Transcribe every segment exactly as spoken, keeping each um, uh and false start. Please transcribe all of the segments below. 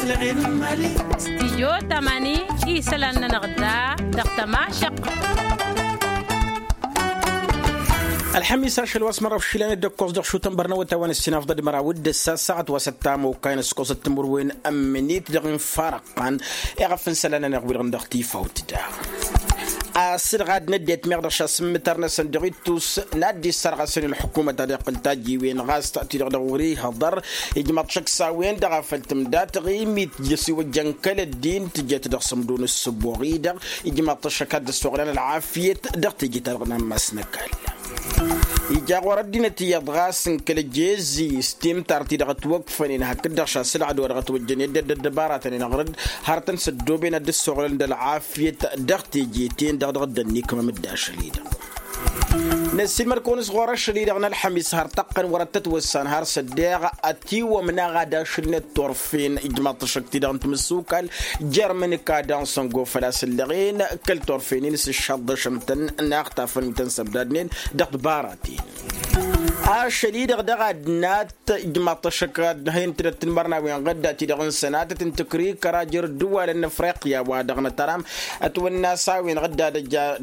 Stijyo tamani isălan-nănăɣ da dăɣ-tămašăq. Ălxămis ašăl wa s-mărrăw išilan dd-ăkkoẓ dăɣ-šutăn bărnăwăt a-wa n-ǝssin afḍăd măraw d-ǝssa ăssaɣăt wa s-ăttam okayăn ǝskosăt timǝrwen n-minit dăɣ-infarăqqan. Iɣăf n-isălan-nănăɣ wi-dăɣ n-dăɣ-tifawt da asǝlɣad n-ăddinăt meɣ dăɣ-šasǝmmǝtăr-năsăn dăɣ-ittus n-ad-dd-issărɣasăn i-ălḥukumăt ad-iqqǝl tajiwen ɣas ti-dăɣ dăɣ-wăr-ihăḍăr. Ijmăḍ šăkk s-a-wen-dăɣ a făl tǝmda taɣimit tǝjjăs iwăjjăn kăl-ăddin tǝjăt dăɣ-sǝmdǝw n-ǝssǝboɣ-i-dăɣ. Ijmăḍ-t ăššăk ad-dd-ăssoɣlăn ălɣafyăt dăɣ-teje-ta-dăɣ n-ammas n-ăkall. Ija ɣur-ăddinăt iyyăḍ ɣas n-kăl-ăjjezi s-timtar-ti-dăɣ ătwăkfănen hakd-dăɣ šasǝlɣad wa dăɣ-ătwăjjăn i-dd ăddăbaratăn-in ăɣrǝd hărătăn s-ăddooben ad-dd-ăssoɣlăn d-ălɣafyăt dăɣ-teje-ten-dăɣ dăɣ-dd-ănnikmăm-dd ašăl-i-dăɣ. Năssiilmăd-kăwăn s-ɣur-ašăl-i-dăɣ n-ălxămis har tăqqăn wăr-ăttătwăssan har s-ăddeɣ ătiwămna ad-ašǝlnet turfen ijmaḍ-t ăššăk-ti-dăɣ n-timǝssukal jer-imǝnǝka dansăngo făl-a-s ǝllăɣen kăl-turfen-in s-ǝššăḍḍăšăn-tăn n-a ăxtafăn wi tăn-săbdadnen dăɣ-tibaraten. Ašăl-i-dăɣ dăɣ-ad-nat ijmaḍ-t ăššăk ad-hin-tǝdăt tǝnmărnawen ɣǝdda-ti-dăɣ n-sănatăt n-tǝkrikăra jer-ǝddǝwalăn n-afriqya wa dăɣ-nătăram ătwănna s-a-wen ɣǝdda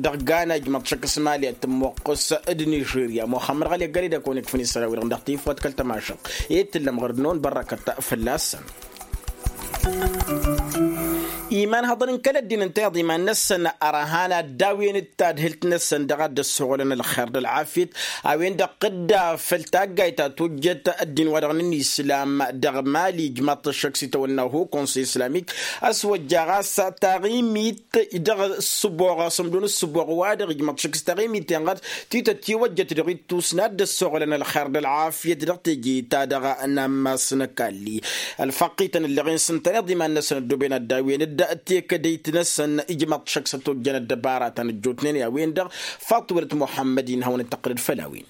dăɣ-gana ijmaḍ-t ăššăk s-mali ad-tǝmmoqqǝs d-nižerya muxămmăd ɣăli ăggăled a kăwăn-ikfăn isălan-wi-dăɣ dăɣ-tifwăt kăl-tămašăɣt. I-tǝllăm ɣur-dd-năwăn bărrăkăt fălla-săn. Iman hăḍăn n-kăl-ăddin ǝnta iḍa iman-năsăn ărhan ad-daw-en d-tadhǝlt-năsăn dăɣ-ad-dd-ăssoɣlăn ălxer d-ălɣafyăt a-wen-dăɣ dd-a făl taggayt ta tojjăt ăddin wa dăɣ-nǝnni islam dăɣ-mali ijmaḍ-t ăššăk s-itawănna ho konsey islamik. A-s wăjja ɣas taɣimit dăɣ-ǝssǝboɣ asǝmdǝw n-ǝssǝboɣ wa-dăɣ ijmaḍ-t ăššăk s-taɣimit-en ɣas tităt tiwăjjăt dăɣ-ittus n-ad-dd-ăssoɣlăn ălxer d-ălɣafyăt dăɣ-teje-ta-dăɣ n-ammas n-ăkalli. Ălfăqqităn ǝlleɣ-in s-ǝntăneḍ iman-năsăn ăddooben ad-dawen-dd tekădăyt-năsăn ijmaḍ-t ăššăk s-ătojjăn ăddăbaratăn ăjjootnen i-a-wen-dăɣ. Faḍt wălăt muḥămmăd-in hawăn-dd-tăqqǝlăd făll-a-wen.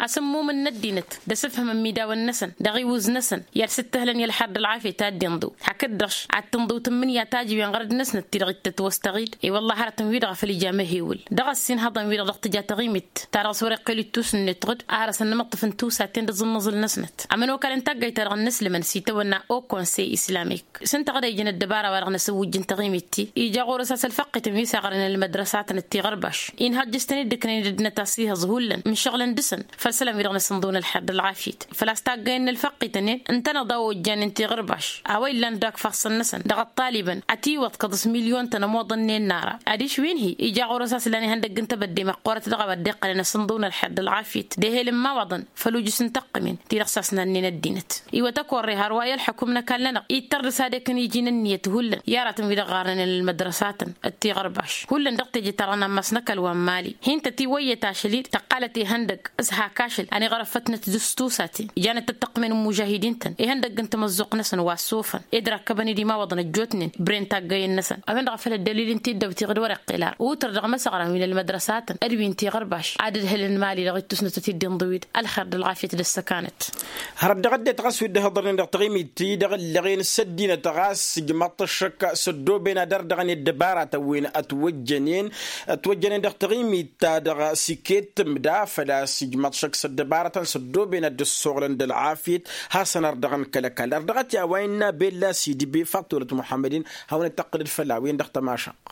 Asǝmmum n-ăddinăt d-asǝfhǝm ămidawăn-năsăn dăɣ-iwǝz-năsăn i-ad-sǝttăhlăn i-ălxer d-ălɣafyăt a dd-inḍǝw hakd-dăɣ ad-tǝnḍǝw tǝmmǝnǝya tajǝwen ɣărăd-năsnăt ti-dăɣ ittăt wăstăɣ-dd. I-wălla hărătăn-wi-dăɣ a făl ija amăhewǝl dăɣ-ăssinhăḍăn-wi-dăɣ dăɣ-tǝja taɣimit ta dăɣ-s wăr-iqqel ittus-net ɣǝd. Ar ăsănnămăṭṭǝf n-tusat-ten d-aẓǝmmăẓǝl-năsnăt ămănokal n-taggayt-ta-dăɣ n-inǝslǝmăn s-itawănna o konsey islamik s-ǝnta ɣǝd a ijăn ăddăbara wa dăɣ-năsǝwwǝjj n-taɣimit-ti. Ija ɣur-s a-s ălfăqqităn wi s-aɣrănen ălmădrăsatăn d-tiɣărbaš inhăjjăs-ten-dd ǝknen d-ăddinăt a-s ihăẓ hullan mǝššăɣlăn dăɣ-săn făll-isălan wi-dăɣ năsǝnḍǝwăn ălxer d-ălɣafyăt. Făl-a-s taggăyăn n-ălfăqqităn-en ǝntăneḍ a ojjanen tiɣărbaš a-wa illan dak ifassăn-năsăn dăɣ-ăṭṭalibăn ătiwăḍkăḍ s-milyon-tăn ămoḍănnen n-ara. Adiš wi n-hi ija ɣur-s a-s lan ihăndăgg n-tebădde măqqoorăt dăɣ-a-wa dd-iqqălăn asǝnḍǝwăn ălxer d-ălɣafyăt d-ehel n-imawaḍăn făll-ujǝs n-taqqǝmen ti-dăɣ s-asnannen ăddinăt. Iwăt ăkorre hărwa i-ălḥăkum n-ăkall-nănăɣ ittăr dăɣ-s ad-ekăn iji n-ǝnniyăt hullan i-aratăn wi-dăɣ ɣarnănen ălmădrăsatăn d-tiɣărbaš hullan dăɣ-teje-ta-dăɣ n-ammas n-ăkall wa n-mali. Hin-tăt-iwăyyăt ašăl-i-dăɣ tăqqalăt ihăndăgg s-hak ašăl a n-iɣrăfătnăt dăɣ-s tusaten ijanăt-tăt tăqqǝmen n-imužahidin-tăn ihăndăgg n-tamăzzuɣt-năsăn wa s-ofăn ed răkkăbăn-dd imawaḍăn ăjjootnen. Bren taggăyăn-năsăn a-wen-dăɣ a făl ăddălil n-tiddawt iɣǝd wăr-iqqel ara utrăr dăɣ-imăsăɣran wi n-ălmădrăsatăn d-wi n-tiɣărbaš ad-ǝdhǝlăn mali dăɣ-ittusnăt a t-dd-inḍǝw-dd ălxer d-ălɣafyăt d-ăssăkanăt. Hărăt dăɣ-ăddinăt ɣas wi dd-ihăḍărnen dăɣ-taɣimit-ti-dăɣ ǝlleɣen s-ăddinăt ɣas ijmaḍ-t ăššăk s-ăddooben ad-ărdăɣăn i-ăddăbaratăn wi n-ătwăjjănen ătwăjjănen dăɣ-taɣimit-ta-dăɣ s-iket tǝmda făl-a-s ijmaḍ-t ăššăk s-ăddăbaratăn s-ăddooben ad-dd-ăssoɣlăn d-ălɣafyăt. Hasăn-ărdăɣăn kăl-ăkall ărdăɣăt i-a-wa innă bella s-idbe faḍt-olăt muḥămmăd-in hawăn-dd-tăqqǝlăd făll-a-wen dăɣ-tămašăɣt.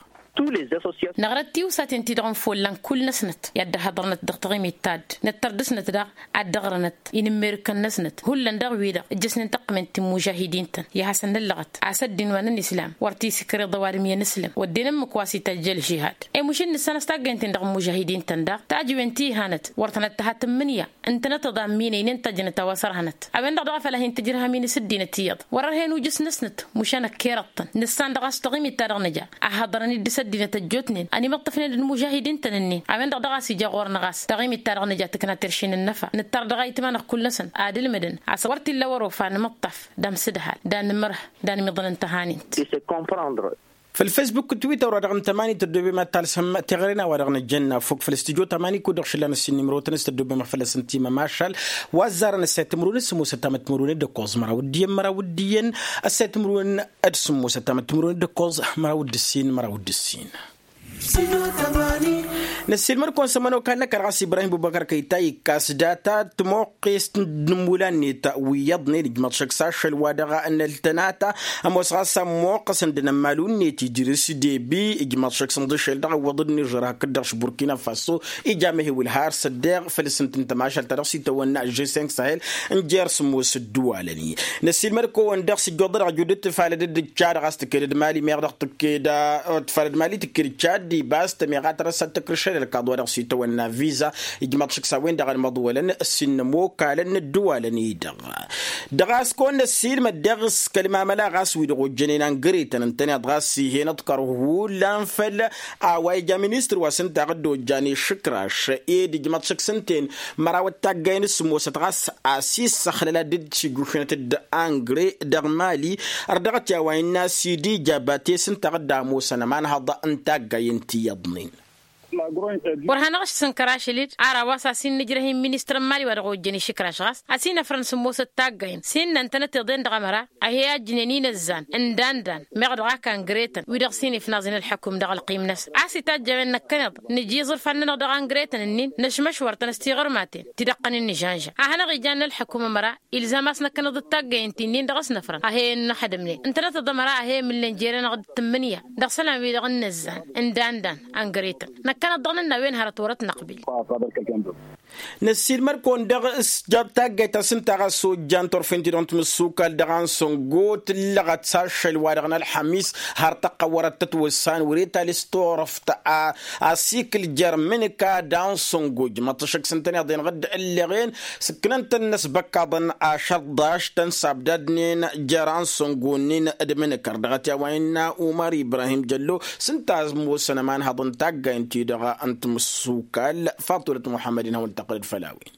Năɣrăt tiwsaten-ti-dăɣ n-follan kull-năsnăt i-ad-dd-ăhhăḍărnăt dăɣ-taɣimit ta dd-năttăr dăɣ-snăt daɣ ad-dd-ăɣrănăt inǝmmerǝkăn-năsnăt hullan dăɣ-wi-dăɣ ǝjjăsnen tăqqǝment ti n-imužahidin-tăn i-ad-hasăn-năllăɣăt a-s ăddin wa n-ănislam wăr t-isǝkrǝḍ ăwadǝm i-inǝslăm wădden ǝmmǝk wa s-itajj ălžihad. Emuš-in nǝssan a-s taggăyăn-ten dăɣ-imužahidin-tăn daɣ tajiwen ti ihanăt wăr tănăt-tăha tǝmmǝnǝya ǝntănăt aḍamminen i-n tajnăt a-wa s-ărhănăt a-wen-dăɣ daɣ a făl a hin-tǝjrǝhăm-in s-ǝddinăt iyyăḍ wăr-ărhen ujǝs-năsnăt. Mušan ăkkerăḍ-tăn nǝssan dăɣ-a-s taɣimit-ta-dăɣ nǝja a hăḍrăn-dd s-ăddinăt ăjjootnen ănimǝṭṭăfnen d-imužahidin-tăn-ǝnnin a-wen-dăɣ daɣ a-s ija ɣur-năɣ a-s taɣimit-ta-dăɣ nǝja tǝkna terše n-ănnăfa nǝttar dăɣ-ayǝtma-năɣ kull-năsăn ad-ǝlmǝdăn a-s wăr t-illa wăr-ofa nǝmǝṭṭaf d-amsǝdhal d-anǝmrǝh d-anǝmiḍălăn tăhanint. Făll-facebook d-twitter wa dăɣ-n tămani tăddoobem ad-talsăm teɣăre n-a-wa dăɣ-nǝjjănna fok făll-studyo tămani kud-dăɣ šǝllan ăssin nimrotăn s-tăddoobem făll-asǝnti mămašal wa ăzzarăn ăssay timǝrwen s-sǝmmosăt tamăt timǝrwen d-ăkkoẓ măraw d-iyyăn măraw d-iyyăn ăssay timǝrwen d-sǝmmosăt tamăt timǝrwen d-ăkkoẓ măraw d-ǝssin măraw d-ǝssin. Năssiilmăd-kăwăn s-ămănokal n-ăkall ɣas ibrahim bubăkăr kăyta ikkas data d-timoqqest n-imula-net wi iyyăḍnen ijmăḍ šăkk s-ašăl wa dăɣ-năltănata. Ămoos ɣas a ămmoqqăsăn d-inămmalu-net idris debi ijmăḍ šăkk s-inḍǝšel dăɣ-ăwwăḍ d-nižăr hakd-dăɣ š-burkina faso. Ija mehewǝl har s-ăddeɣ făll-sǝntǝn tămašalt-ta-dăɣ s-itawănna žeseng sahel n-jer-sǝmmos ǝddǝwalăn-i. Năssiilmăd-kăwăn dăɣ-s ǝjjuḍăd ăjud d-tǝfalăd d-čad ɣas tǝkked d-mali meɣ dăɣ-tǝkked tǝfalăd mali tǝkked čad d-ibas tămeɣa tărăsat tăkrǝšăd ălkaḍ wa dăɣ-s itawănna viza. Ijmăḍ šǝksa-wen-dăɣ ălmăḍwălăn s-innă ămokalăn n-ǝddǝwalăn-i-dăɣ. Dăɣ-a-s kăwăn-năssiilmăd dăɣ-s kăl-mamăla ɣas wi dăɣ-ojjănen angăretăn ǝntăneḍ ɣas ih'-en ăḍkăr hullan făll-a-wa ija ministăr wa s-ǝnta ɣǝdd ojjan išǝkraš ed ijmăḍ šǝk s-ǝnta-en. Măraw d-taggayen s-sǝmmosăt ɣas a-s issăxlăl ad-dd-sijušǝnăt d-angre dăɣ-mali. Ărdăɣăt i-a-wa innă a-s idija bates ǝnta ɣǝdd a ămoosăn ămanhăḍ n-taggayen ti iyyăḍnen. Wăr hanăɣ-ǝšsǝnkăr ašăl-dd ar a-wa s-a-s innă ǝjrăh-in ministăr n-mali wa dăɣ-ojjăn išǝkraš ɣas a-s inăfrăn sǝmmosăt taggayen s-innă ǝntănăt iḍen dăɣ-ămăra. A he-ajjǝnen inăzzan ǝndan-dan meɣ dăɣ-ak angretăn wi-dăɣ s-inifnaẓen ălḥăkum dăɣ-ălqim-năsăn a-s itajj a-wen năkkăneḍ nǝj iẓǝrfan-nănăɣ dăɣ-angretăn-ǝnnin năšmăšwăr-tăn s-tiɣărmaten ti dăɣ-tăn-ǝnnǝžanža a hanăɣ-ijanna ălḥăkum ămăra. Ilzam a-s năkkăneḍ d-taggayen ti-nin-dăɣ s-năfrăn a he-ǝnnăxdǝmnen ǝntănăt d-ămăra a he-imǝllen jere-năɣ d-tǝmmǝnǝya dăɣ-isălan-wi-dăɣ n-inăzzan ǝndan-dan angretăn năkkăneḍ dăɣ-nănn a-wen hărăt wăr-ătnăqbil. Năssiilmăd-kăwăn dăɣ-s jab taggayt ta s-ǝnta ɣas ojjan turfen-ti-dăɣ n-timǝssukal dăɣ-ansăngo tǝllăɣăt s-ašăl wa dăɣ-nălxămis har tăqqăwărăt tătwăssan wăr-e tales turăft a asikǝl jer-imǝnǝka d-ansăngo ǝjmăḍ-t ašăk s-ǝntăneḍ-en ɣǝdd ǝlleɣen. Sǝkkǝnăn-tăn-năs băkkaḍăn ašăḍḍaš tăn-sabdadnen jer-ansăngo-nin d-imǝnǝkăr dăɣ-t i-a-wa innă umăr ibrahim jăllo s-ǝnta a ămoosăn ămanhăḍ n-taggayen-ti-dăɣ n-timǝssukal. Faḍulăt muḥămmăd-in hawăn-tăqqǝlăd făll-a-wen.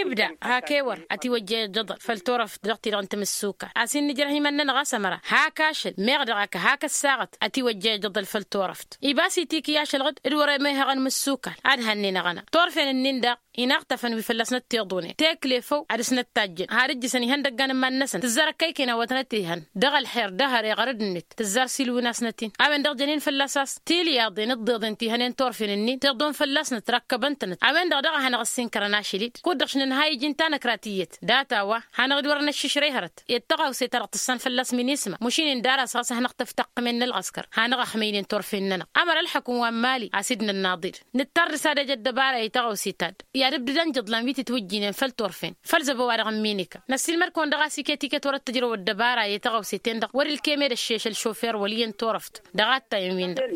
Ibda hak ewăr ătiwăjja ijăḍăl făll-turăft dăɣ-ti-dăɣ n-timǝssukal a-s innă ǝjrăh imănnănăɣ a-s ămăra hak ašăl meɣ dăɣ-ak hak ăssaɣăt ătiwăjja ijăḍăl făll-turăft. Ibas itiki ašăl ɣǝd d-wăr-emehăɣăn imǝssukal ad-hannenăɣ ăna turfen-ǝnnin daɣ inaɣtăfăn wi fălla-s năttiḍunen tekle făw ad-dăɣ-s năttajjăn har ǝjjǝsăn ihăndăggan n-iman-năsăn tǝzzar ăkkăyken a-wa tănăt-ihăn dăɣ-ălxer d-ehăre ɣărăd-net tǝzzar s-ilwǝn-asnăt-in a-wen-dăɣ jănen fălla-s a-s tilyaḍen d-iḍeḍen ti-hănen turfen-ǝnnin tiḍun fălla-s nătrakkăbăn-tănăt a-wen-dăɣ daɣ a hanăɣ-ăssinkărăn ašăl-dd kud-dăɣ š-nǝnhăy iji n-tanăkrat iyyăt data-wa hanăɣ-dd wăr-năššǝšrăy hărăt i-dd tăɣawse ta dăɣ-tǝssan fălla-s minisma măšin-in d-ar a-s ɣas a hanăɣ-tăf tăqqǝmen n-ălɣăskăr hanăɣ-ăxmăynen turfen-nănăɣ. Ămăra ălḥăkum wa n-mali a-s dd-nănnaḍ-dd nǝttar dăr-s ad-ej ăddăbara i-taɣăwse ta dd-i ad-ǝbdǝdăn jǝḍlan wi tǝtwǝjjǝynen făll-turfen făll-zăbo-wa-dăɣ n-minikăn năssiilmăd-kăwăn dăɣ-a-s iket iket wăr-ăttăjrăw ăddăbara i-taɣăwse-ten-dăɣ wăr-ilkem ed ăššeš ălšofer wăl' iyyăn turăft. Dăɣ-attayăn-win-dăɣ.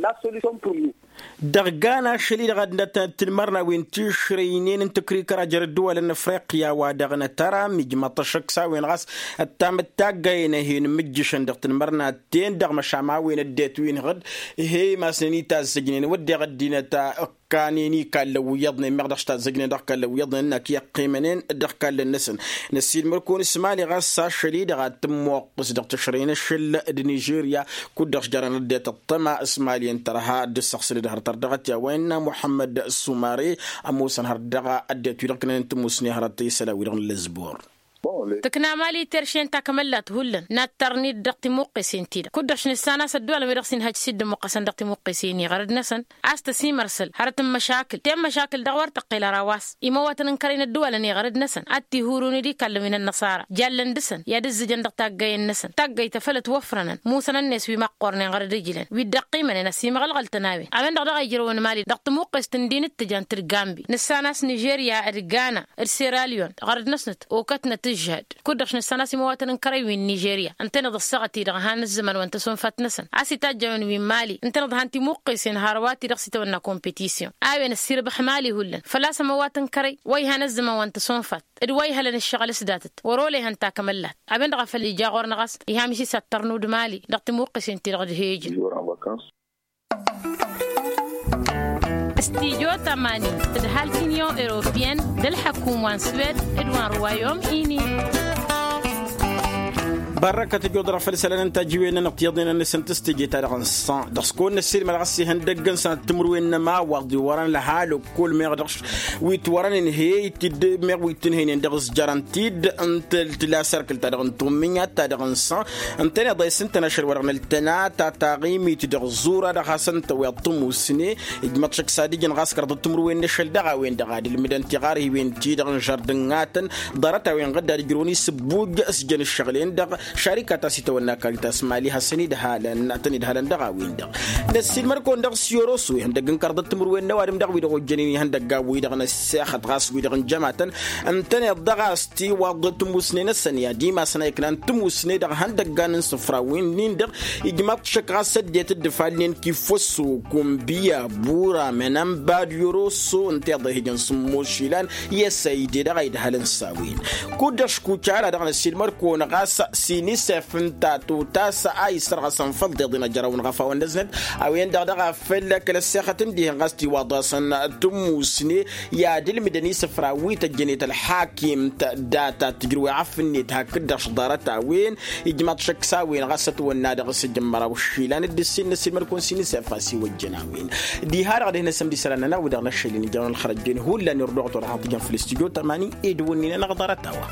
Dăɣ-gan ašăl-i-dăɣ ad-nătănăt tinmărnawen tišrăynen n-tǝkrikăra jer-ăddăwalăn n-afriqya wa dăɣ-nătăra mijmăḍ-t ašăk s-a-wen ɣas ăttam d-taggayen a hin-mǝjjǝšăn dăɣ-tinmărnaten dăɣ-măšan a-wen ăddinăt wi n-iɣǝd. He-i masnen itazzăjnen wădden ăddinăt ăkkanen ikallăn wi iyyăḍnen meɣ dăɣ-s tazzăjnen dăɣ-ikallăn wi iyyăḍnen ǝnn-ak iqqimănen dăɣ-ikallăn-năsăn. Năssiilmăd-kăwăn s-mali ɣas ašăl-i-dăɣ ad-tǝmmuqqǝs dăɣ-tǝšrăy n-ašăl d-nižerya kud-dăɣ s-jarăn ăddinăt ăṭṭăma s-mali ǝnta ărha dd-ǝssăɣsǝl d-hărăt ărdăɣăt i-a-wa innă muḥămmăd sumare. Ămoosăn hărăt dăɣ-ăddinăt-wi-dăɣ ǝknănen tǝmmusne hărăt isălan-wi-dăɣ n-lăzbur. Tǝkna mali terše n-takmăllat hullan nattărnid dăɣ-timuqqesen-ti-dăɣ kud-dăɣ š-nǝssan a-s ăddăwalăn wi-dăɣ s-inhăj s-dd-ămmuqqăsăn dăɣ-timuqqesen iɣărăd-năsăn a-s tăsimărsăl hărăt n-măšakǝl ten măšakǝl dăɣ-wăr tăqqel ăraw a-s imăwwătăn n-kărăy n-ăddăwalăn iɣărăd-năsăn ad-t-ihurun d-ikallăn wi n-ănnăṣara jallăn dăɣ-săn i-ad-ǝzzǝjăn dăɣ-taggayen-năsăn taggayt ta făl ătwăfrănăn musănăn-net wi măqqornen ɣărăd ǝjlăn wi dd-ăqqimănen ăsimăɣălɣăl-tăn a-wen a-wen-dăɣ dăɣ-a ijrăwăn mali dăɣ-tămuqqest n-di n-ǝttǝjant d-gambi nǝssan a-s nižerya d-gana d-seralion ɣărăd-năsnăt okătnăt ǝžžăd kud-dăɣ š-nǝssan a-s imăwwătăn n-kărăy wi n-nižerya ǝntăneḍ ăssaɣăt-i-dăɣ han ǝzzăman wa n-tăsonfat-năsăn a-s itajj a-wen wi n-mali ǝntăneḍ han timuqqesen hărwa-ti-dăɣ s-itawănna kompetisyon a-wen ăssirbăx mali hullan făl-a-s ămăwwăt n-kărăy wa ihan ǝzzăman wa n-tăsonfat d-wa ihălăn ǝššăɣǝl s-datăt wăr-olăyhăn takmăllat a-wen-dăɣ a făl ija ɣur-năɣ a-s iha misi s-ad-tărnu d-mali dăɣ-timuqqesen-ti-dăɣ d-he-ijăn. Studyo tămani d-halk unyon europeyăn d-ălḥăkum wa n-swed d-wa n-ruwayom ini. Ărrăkăt ăjodăr făll-isălan n-tajǝwen-nănăɣ tiyyăḍnen-năsăn tǝstǝje-ta-dăɣ n-săn dăɣ-s kăwăn-năssiilmăd ɣas ihăndăggăn săn tǝmǝrwen n-ămawaḍ iwărăn lăha lăkkol meɣ dăɣ-s wi t-wărăn ǝnhey-t-dd meɣ wi t-ǝnhăynen dăɣ-s jărăn-t-dd. N-tǝla sărkǝl-ta-dăɣ n-tummǝnyat-ta-dăɣ n-săn ǝntăneḍ a isǝntăn ašăl-wa-dăɣ n-ăltăna ta taɣimit dăɣ-ẓura dăɣ-hasăn-tăweḍ tămusne. Ijmăḍ šăkk s-ad-ǝjǝn ɣas kăraḍăt timǝrwen n-ašăl dăɣ-a-wen-dăɣ ad-ǝlmǝdăn tiɣarhiwen-ti-dăɣ n-žăr dăŋ-atăn ḍarăt-a-wen ɣǝdd ad-ǝjrǝwăn isǝbbujj s-ijăn ǝššăɣǝl-en-dăɣ šarikat a-s itawănna karita s-mali hasăn-idhalăn ad-tăn-idhalăn dăɣ-a-wen-dăɣ. Năssiilmăd-kăwăn dăɣ-s yoroso ihăndăgg n-kăraḍăt timǝrwen n-ăwadǝm dăɣ-wi-dăɣ ojjănen ihăndăgg a-wi-dăɣ n-ăssexăḍ ɣas wi-dăɣ n-jămatăn ǝntăneḍ dăɣ-a-s tiwaḍ tǝmusne-năsăn i-ad-imasăn a iknan tǝmusne dăɣ-ihăndăggan n-isǝfrawen-in-dăɣ. Ijmaḍ-t šăkk ɣas ăddinăt dd-ifalnen kifăso kunbiya bura mănănba d-yoroso ǝnta iḍa ihǝjăn sǝmmos išilan i-asăyde dăɣ-a idhălăn s-a-wen. Kud-dăɣ škuca ara dăɣ-năssiilmăd-kăwăn ɣas s-inisef ǝnta totas a issărɣăsăn făll-tiḍen ăjrăwăn ɣăfawăn n-ăznăt a-wen-dăɣ dăɣ-a făl kăl-ăssexăt n-dihăn ɣas tiwaḍ-asăn tǝmmusne i-ad-ǝlmǝdăn isǝfra wi tăjjănet ălḥakimt data tǝjrǝw i-afǝnnet hakd-dăɣ šḍarăt a-wen. Ijmaḍ šăkk s-a-wen ɣas ătwănna dăɣ-s ǝjǝmmăraw išilan d-ǝssin n-ăssiilmăd-kăwăn s-inisef a-s iwăjjăn a-wen. Diha-dăɣ deh n-asămd isălan-nănăɣ wi-dăɣ n-ašăl-in ijănăɣ n-ălxărăjjen hullan irduɣăt wăr-dăɣ tǝjăn făll-istudyo tămani ed wǝnnin-anăɣ ḍarăt-a-wa.